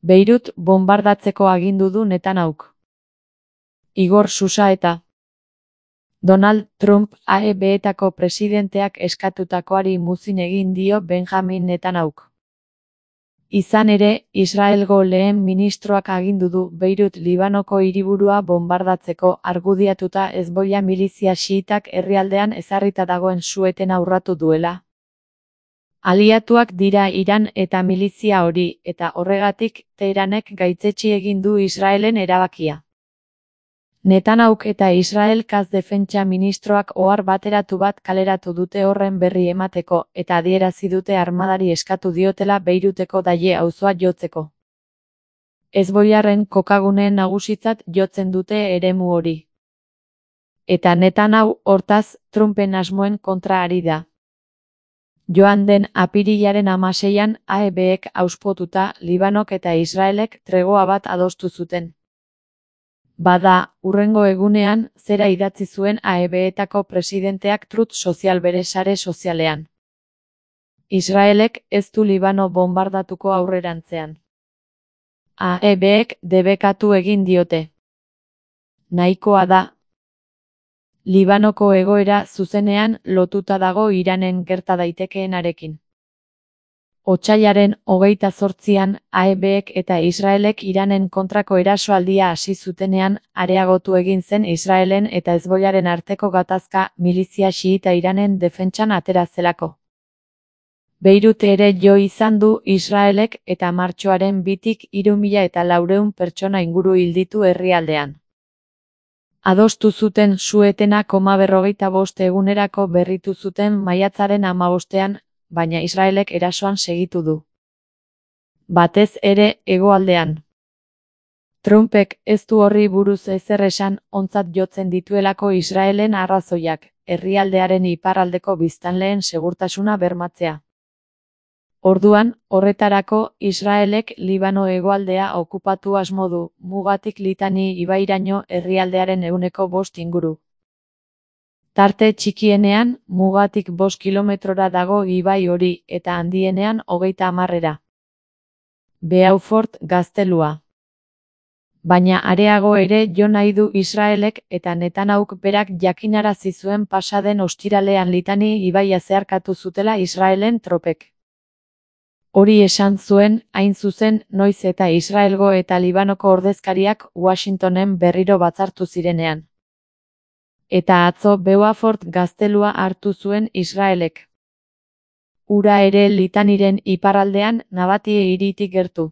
Beirut bonbardatzeko agindu du Netanyahuk. Igor Susa eta Donald Trump AEB-etako presidenteak eskatutakoari muzin egin dio Benjamin Netanyahuk. Izan ere, Israelgo lehen ministroak agindu du Beirut Libanoko hiriburua bonbardatzeko argudiatuta Hezbollah milizia xiitak herrialdean ezarrita dagoen su-etena urratu duela. Aliatuak dira Iran eta milizia hori, eta horregatik, Teheranek gaitzetsi egin du Israelen erabakia. Netanyahuk eta Israel-kaz defentsa ministroak ohar bateratu bat kaleratu dute horren berri emateko, eta adierazi dute armadari eskatu diotela Beiruteko Daye auzoa jotzeko. Hezbollaren kokagune nagusitzat jotzen dute eremu hori. Eta Netanyahu, hortaz, Trumpen asmoen kontra ari da. Joan den apirilaren 16an AEB-ek auspotuta Libanok eta Israelek tregoa bat adostu zuten. Bada, hurrengo egunean, zera idatzi zuen AEB-etako presidenteak Truth Social bere sare sozialean. Israelek ez du Libano bonbardatuko aurrerantzean. AEB-ek debekatu egin diote. Nahikoa da. Libanoko egoera zuzenean lotuta dago Iranen gerta daitekeenarekin. Otsailaren 28an AEB-ek eta Israelek Iranen kontrako erasoaldia hasi zutenean, areagotu egin zen Israelen eta Hezbollaren arteko gatazka milizia xiita Iranen defentsan atera zelako. Beirut ere jo izan du Israelek eta martxoaren 2tik 3400 pertsona inguru hil ditu herrialdean. Adostu zuten su-etena 45 egunerako berritu zuten maiatzaren 15ean, baina Israelek erasoan segitu du. Batez ere, hegoaldean. Trumpek ez du horri buruz ezer esan, ontzat jotzen dituelako Israelen arrazoiak, herrialdearen iparraldeko biztanleen segurtasuna bermatzea. Orduan, horretarako, Israelek Libano hegoaldea okupatu asmo du, mugatik Litani ibairaino herrialdearen 5% inguru. Tarte txikienean, mugatik 5 kilometrora dago ibai hori, eta handienean 30. Beaufort gaztelua. Baina areago ere jo nahi du Israelek eta Netanyahuk berak jakinarazi zuen pasaden ostiralean Litani ibaia zeharkatu zutela Israelen tropek. Hori esan zuen, hain zuzen, noiz eta Israelgo eta Libanoko ordezkariak Washingtonen berriro batzartu zirenean. Eta atzo Beaufort gaztelua hartu zuen Israelek. Hura ere Litaniren iparraldean Nabatie hiritik gertu.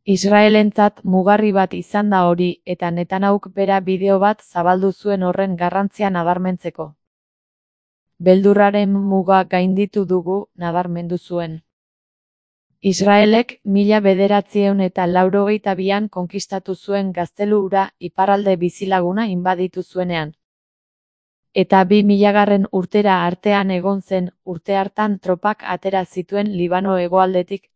Israelentzat mugarri bat izan da hori, eta Netanyahuk bera bideo bat zabaldu zuen horren garrantzia nabarmentzeko. Beldurraren muga gainditu dugu, nabarmendu zuen. Israelek 1982an konkistatu zuen gaztelu hura iparralde bizilaguna inbaditu zuenean. Eta 2000 urtera artean egon zen, urte hartan tropak atera zituen Libano hegoaldetik,